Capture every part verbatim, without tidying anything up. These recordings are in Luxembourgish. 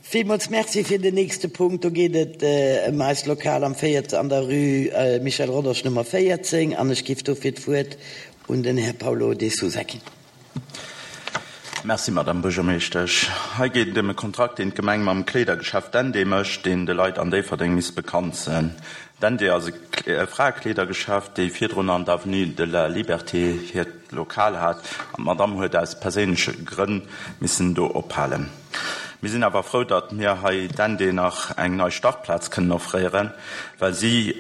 Villmools Merci fir den nächste Punkt. Do geet et ëm eist Lokal am véiert an der Rue Michel Rodange Nummer véierzéng an ech géif dofir d'Wuert un den Här Paulo De Sousa ginn. Merci, Madame Buergermeeschtesch. Hei geet et ëm e Kontrakt, deen d'Gemeng mam Kleedergeschäft Dendé mécht, deen de Leit an Déifferdeng misst bekannt sinn. Dendé ass e Fraekleedergeschäft, déi virdrun an der Avenue de la Liberté hiert Lokal hat, an d'Madame huet aus perséinleche Grënn missen do ophalen. Mir sinn awer frou, datt mir hei Dendé nach eng nei Startplaz kënnen offréieren, well si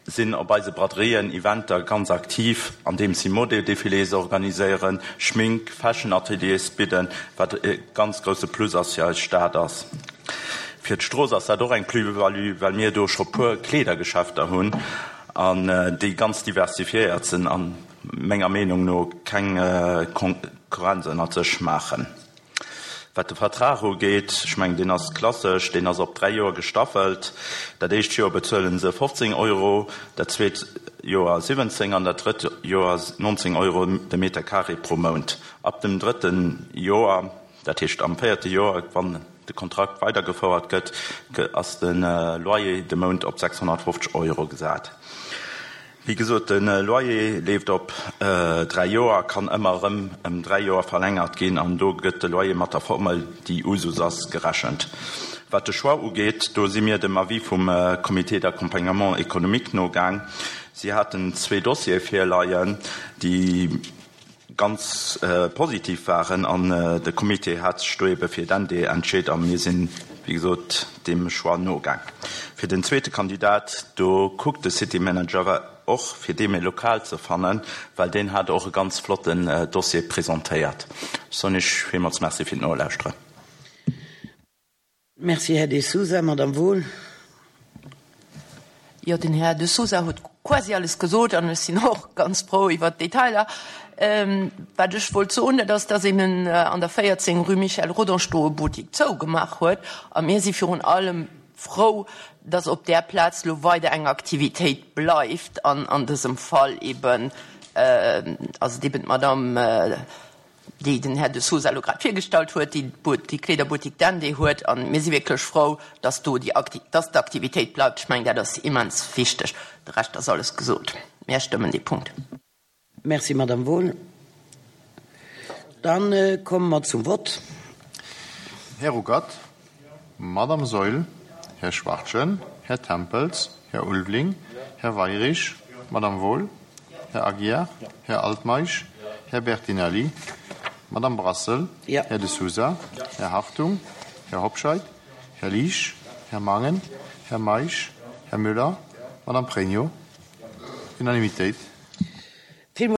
sinn op eise Braderien, Eventer ganz aktiv, andeems si Modedéfilés organiséieren, Schmink-, Fashion-Ateliers bidden, wat e ganz grousse Plus ass fir eis Stad ass. Fir d'Strooss ass dat och eng Plus-value, well mir do scho puer Kleedergeschäfter hunn an déi ganz diversifiéiert sinn a menger Meenung no keng Konkurrenz ënnert sech maachen. Wat de Vertrag ugeet, ech mengen, deen ass klassesch, deen ass op dräi Joer gestaffelt. Dat éischt Joer bezuele se fofzéng Euro, dat zweet Joer siwwenzéng an dat drëtt Joer nonzéng Euro de Meter carré pro Mount. Ab dem drëtte Joer, dat heescht am véierte Joer, wann de Kontrakt weidergefouert gëtt, ass de Loyer de Mount op sechshonnertfofzeg Euro gesat. Wéi gesot, de Loyer leeft op dräi Joer a kann ëmmer erëm ëm dräi Joer verlängert ginn an do gëtt de Loyer mat der Formel, déi Usus ass, gerechent. Wat de Choix ugeet, do si mir dem Avis vum Comité d'accompagnement économique nogaang. Si haten zwee Dossiere virleien, déi ganz positiv waren an de Comité hat sech do ebe fir d'N D entscheet a mir sinn, wéi gesot, deem Choix nogaang. Fir den zweete Kandidat, do kuckt de City Manager och, fir deem e Lokal ze fannen, well deen hat och e ganz flotten Dossier presentéiert. Ech soen Iech villmools Merci fir d'Nolauschteren. Merci, Här De Sousa. Madame Wohl. Jo, den Här De Sousa huet quasi alles gesot an ech sinn och ganz frou iwwert d'Detailer. Wat ech wollt soen, dat ass, dass eben an der véierzéng rue Michel Rodange do e Buttik zougemaach huet a mir si virun allem frou, dass op där Plaz lo weider eng Aktivitéit bleift an an dësem Fall eben ass et eben d'Madame, déi den Här De Sousa elo grad virgestallt huet, déi déi Kleederbuttik Dendé huet an mir si wierklech frou, dass do déi Akti dass d'Aktivitéit bleift. Ech mengen, dat ass immens wichteg. De Rescht ass alles gesot. Mir stëmmen dee Punkt. Merci, Madame Wohl. Dann komme mer zum Vott. Här Ruckert, Madame Saeul, Här Schwachtgen, Här Tempels, Här Ulveling, Här Weirich, Madame Wohl, Här Aguiar, Här Altmeisch, Här Bertinelli, Madame Brassel, Här De Sousa, Här Hartung, Här Hobscheit, Här Liesch, Här Mangen, Här Meisch, Här Müller, Madame Pregno. Unanimitéit.